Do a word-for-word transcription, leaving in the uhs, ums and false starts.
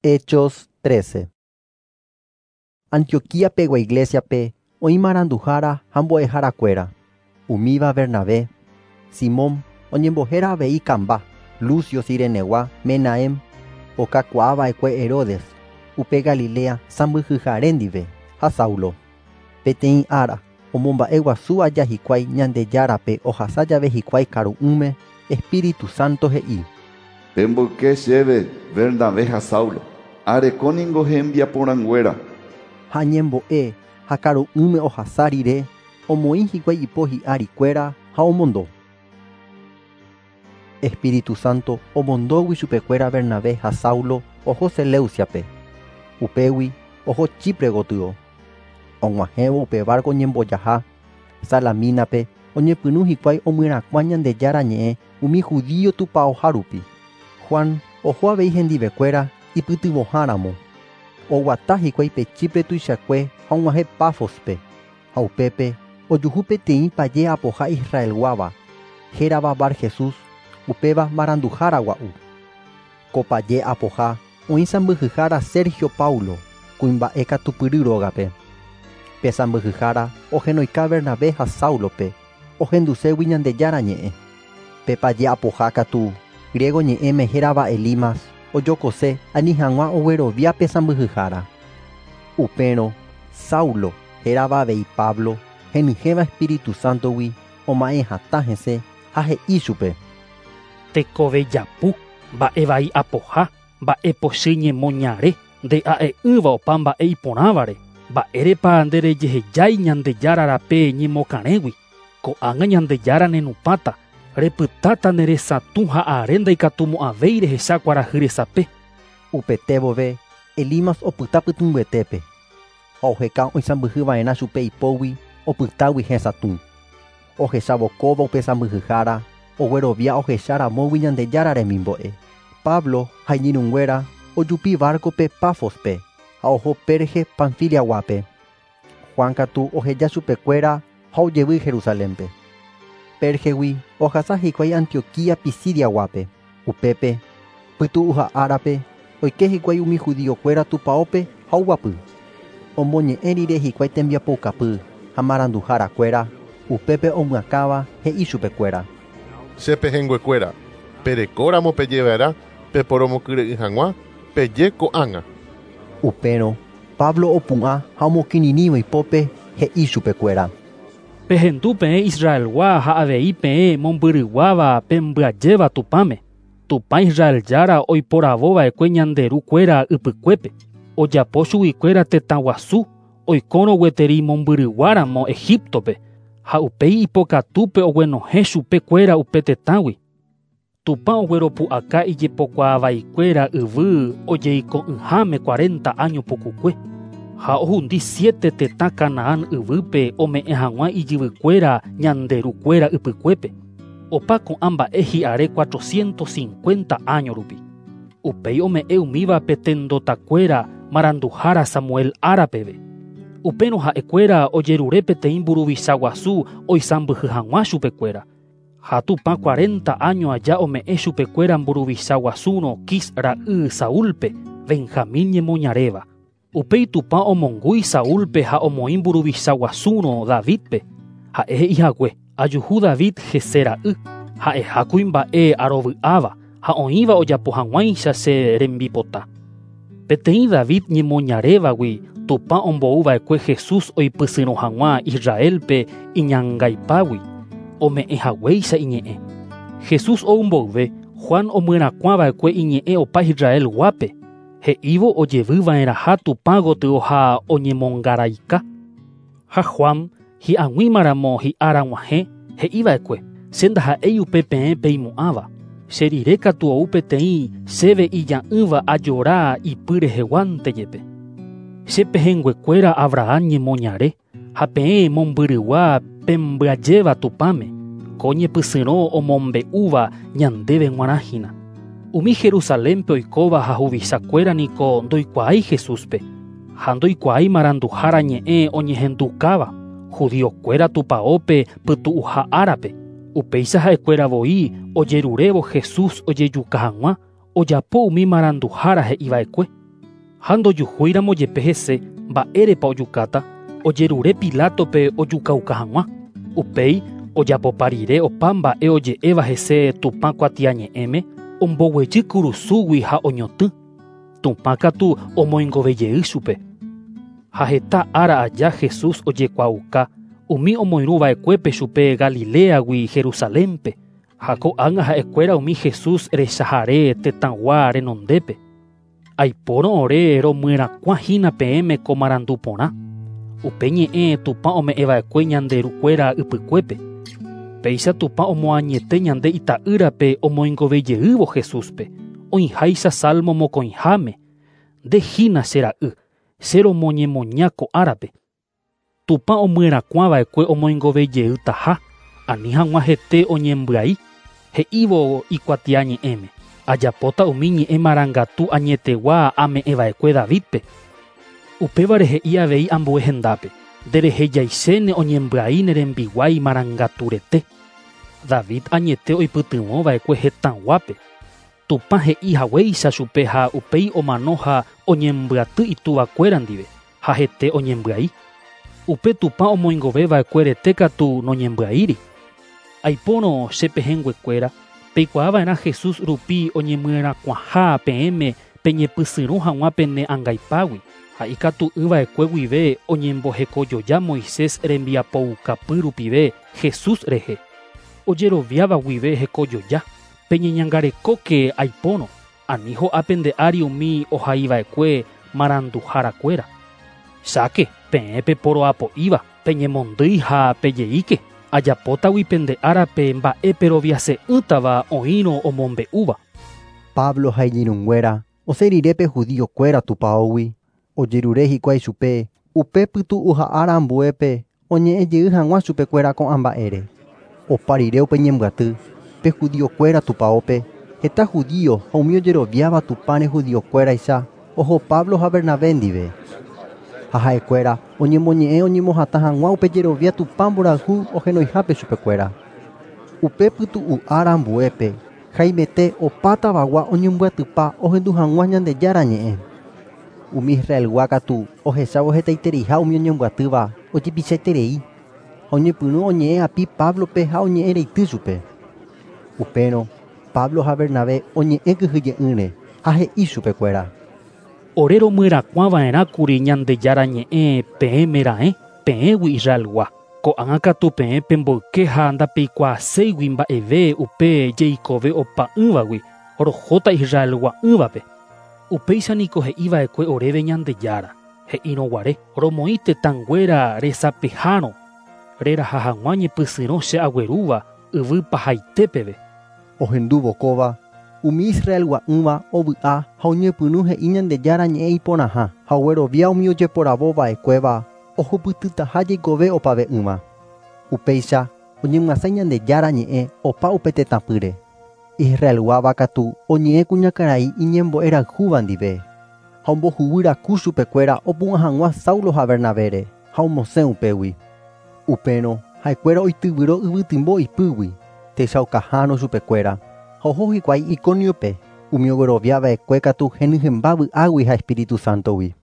Hechos trece. Antioquía pegua iglesia pe oĩ maranduhára ha mbo'eharakuéra. Umíva Bernabé, Simón oñembohéra avei Kamba, Lucio Cirenegua, Menahem, okakuaava'ekue Herodes, upe Galilea sãmbyhyhare ndive ha Saulo. Peteĩ ára omomba'eguasu aja hikuái Ñandejárape ohasa jave hikuái karu'ỹme, Espíritu Santo he'i: Pemboyke chéve Bernabé ha Saulo, arekóningo hembiaporãnguéra. Ha ñembo'e ha karu'ỹme ohasa rire, omoĩ hikuái ipo hi'arikuéra ha omondo. Espíritu Santo omondógui chupekuéra Bernabé ha Saulo oho Seleuciape. Upégui oho Chipre gotyo. Og̃uahẽvo upe barco ñembojaha Salamínape oñepyrũ hikuái omyerakuã Ñandejára ñe'ẽ umi judío tupãoha rupi. Juan oho avei hendivekuéra ipytyvõháramo. Oguata hikuái pe Chipre tuichakue ha og̃uahẽ Pafospe ha upépe ojuhu peteĩ paje apoha Israelguáva hérava Bar Jesús, upéva maranduhára gua'u. Ko paje apoha oĩ sãmbyhyhára Sergio Paulo kuimba'e katupyry rógape. Pe sãmbyhyhára ohenoika Bernabé ha Saulope ohenduségui Ñandejára ñe'ẽ. Pe paje apoha katu griego ñe'ẽme hérava Elimas ojokose ani hag̃ua oguerovia pe sãmbyhyhára. Upérõ Saulo hérava avei Pablo henyhẽva Espíritu Santogui oma'ẽ hatã hese ha he'i chupe: Tekovejapu, mba'evai apoha, mba'epochy ñemoñare, nde'a'e'ỹva opa mba'e iporãvare, mba'érepa nderejehejái Ñandejára rape ñemokarẽgui, ko'ág̃a Ñandejára nenupãta, repytáta neresatũ ha are ndaikatumo'ãvéi rehecha kuarahy resape. Upete vove Elimas opyta pytũmbyetépe ha oheka oisãmbyhyva'erã chupe ipógui opytágui hesatũ. Ohechavokóva upe sãmbyhyhára oguerovia ohecharamógui Ñandejára remimbo'e. Pablo ha iñirũnguéra ojupi barco-pe Pafospe ha oho Perge Panfiliaguápe. Juan katu oheja chupekuéra ha ojevy Jerusalénpe. Pergegui ohasa hikuái Antioquía Pisidiaguápe. Upépe pytu'uha árape oike hikuái umi judiokuéra tupãópe ha oguapy. Omoñe'ẽ rire hikuái tembiapoukapy ha maranduharakuéra upépe omyakãva he'i chupekuéra: Che pehẽnguekuéra, perekóramo pejeva'erã peporomokyre'ỹ hag̃ua peje ko'ág̃a. Upérõ Pablo opu'ã ha omokirirĩvo ipópe he'i chupekuéra: Pehendu peẽ Israelgua ha avei peẽ mombyryguáva pembyajéva Tupãme. Tupã Israel Jára oiporavova'ekue ñande rukuéra ypykuépe. Ojapo chuguikuéra tetã guasu oikórõ gueteri mombyryguáramo Egiptope ha upéi ipokatúpe oguenohẽ chupekuéra upe tetãgui. Tupã ogueropu'aka ijepokuaavaikuéra yvy ojeiko'ỹháme cuarenta año pukukue ha ohundi siete tetã Canaán yvýpe ome'ẽ hag̃ua ijyvykuéra ñande rukuéra ypykuépe. Opa ko'ã mba'e hi'are cuatrocientos cincuenta año rupi. Upéi ome'ẽ umíva pe tendotakuéra maranduhára Samuel árapeve. Upérõ ha'ekuéra ojerure peteĩ mburuvicha guasu oisãmbyhy hag̃ua chupekuéra. Ha Tupã cuarenta año aja ome'ẽ chupekuéra mburuvicha guasúrõ Quis ra'y Saúlpe, Benjamín ñemoñaréva. Upéi Tupã omongúi Saúlpe ha omoĩ mburuvicha guasúrõ Davidpe. Ha'e he'ihague ajuhu David Jesé ra'y, ha'eha kuimba'e arovy'áva ha oĩva ojapo hag̃uáicha che rembipota. Peteĩ David ñemoñarévagui Tupã ombouva'ekue Jesús oipysyrõ hag̃ua Israelpe iñangaipágui, ome'ẽ haguéicha iñe'ẽ. Jesús ou mboyve Juan omyerakuãva'ekue iñe'ẽ opa Israelguápe, he'ívo ojevyva'erãha Tupã gotyo ha oñemongaraika. Ha Juan hi'ag̃uímaramo hi'ára g̃uahẽ he'iva'ekue: Che ndaha'éi upe peẽ peimo'ãva. Che rire katu ou peteĩ chéve ija'ỹva ajora ipy reheguánte jepe. Che pehẽnguekuéra Abraham ñemoñare ha peẽ mombyrygua pembyajéva Tupãme, ko ñepysyrõ omombe'úva ñandéve g̃uarã hína. Umi Jerusalénpe oikóva ha huvichakuéra niko ndoikuaái Jesúspe ha ndoikuaái maranduhára ñe'ẽ oñehendukáva judiokuéra tupãópe pytu'uha árape. Upéicha ha'ekuéra voi ojerurévo Jesús ojejuka hag̃ua ojapo umi maranduhára he'iva'ekue. Ha ndojuhúiramo jepe hese mba'érepa ojukáta, ojerure Pilatope ojukauka hag̃ua. Upéi ojapopa rire opa mba'e oje'éva hese Tupã kuatiañe'ẽme, omboguejy kurusúgui ha oñotỹ. Tupã katu omoingovejey chupe. Ha heta ára aja Jesús ojekuaauka umi omoirũva'ekuépe chupe Galileagui Jerusalénpe. Ha ko'ág̃a ha'ekuéra umi Jesús rechahare tetãgua renondépe. Aipórõ ore romyerakuãhína peẽme ko marandu porã. Upe ñe'ẽ Tupã ome'ẽva'ekue ñande rukuéra ypykuépe. Péicha Tupã omoañete ñande ita'ýrape omoingovejeývo Jesúspe. Oĩháicha Salmo mokõiháme. Ndehína che ra'y, che romoñemoña ko árape. Tupã omyerakuãva'ekue omoingovejeytaha, ani hag̃ua hete oñembyai, he'ívo ikuatiañe'ẽme. Ajapóta umi ñe'ẽ marangatu añetegua ame'ẽva'ekue Davidpe. Upévare he'i avei ambue hendápe. Nderehejaichéne oñembyai ne rembiguái marangaturete. David añete oipytyvõva'ekue hetãguápe. Tupã he'i haguéicha chupe ha upéi omano ha oñembyaty ituvakuéra ndive, ha hete oñembyai. Upe Tupã omoingoveva'ekue rete katu noñembyaíri. Aipórõ che pehẽnguekuéra, peikuaava'erã Jesús rupi oñemyerakuãha peẽme peñepysyrõ hag̃ua pene angaipágui. Ha ikatu'ỹva'ekue guive oñembohekojoja Moisés rembiapoukapy rupive Jesús rehe. Ojeroviáva guive hekojoja. Peñeñangarekóke aipórõ, ani ho'a pende ári umi ohaiva'ekue maranduharakuéra. Cháke, peẽ peporoapo'íva, peñemondýi ha pejeíke. Ajapótagui pende árape mba'e peroviase'ỹtava oĩrõ omombe'úva. Pablo ha iñirũnguéra osẽ rire pe judíokuéra tupãógui, ojerure hikuái chupe upe pytu'u ára ambuépe oñe'ẽjey hag̃ua chupekuéra ko'ã mba'ére. Opa rire upe ñembyaty, pe judíokuéra tupãópe, heta judío ha umi ojeroviáva Tupãre judíokuéraicha oho Pablo ha Bernabé ndive. Ha ha'ekuéra oñemoñe'ẽ oñemohatã hag̃ua upe jerovia Tupã mborayhu ohenoihápe chupekuéra. Upe pytu'u ára ambuépe, haimete opa tavagua oñembyatypa ohendu hag̃ua Ñandejára ñe'ẽ. Umi Israelgua katu ohechávo hetaitereiha umi oñembyatýva ojepichaiterei ha oñepyrũ oñe'ẽ api Pablope ha oñe'ẽ reity chupe. Upérõ Pablo ha Bernabé oñe'ẽ kyhyje'ỹre ha he'i chupekuéra. Ore romyerakuãva'erãkuri Ñandejára ñe'ẽ peẽme raẽ, peẽgui Israelgua. Ko'ág̃a katu peẽ pemboyke ha ndapeikuaaséigui mba'eve upe jeikove opa'ỹvagui rohóta Israelgua'ỹvape. Upéicha niko he'iva'ekue oréve Ñandejára. He'írõguare romoĩ tetãnguéra resapehárõ reraha hag̃ua ñepysyrõ che aguerúva yvy pahaitépeve. Ohendúvo kóva, umi Israelgua'ỹva ovy'a ha oñepyrũ he'i Ñandejára ñe'ẽ iporãha ha oguerovia umi ojeporavova'ekuéva ohupytytaha jeikove opave'ỹva. Upéicha oñemyasãi Ñandejára ñe'ẽ opa upe tetãpýre. Israelguáva katu oñe'ẽ kuñakarai iñembo'erayhúva ndive ha ombohuguýraku chupekuéra opu'ã hag̃ua Saulo ha Bernabére ha omosẽ upégui. Upérõ ha'ekuéra oityvyro yvytymbo ipýgui techaukaháro chupekuéra ha oho hikuái Iconiope umi ogueroviava'ekue katu henyhẽmba vy'águi ha Espíritu Santogui.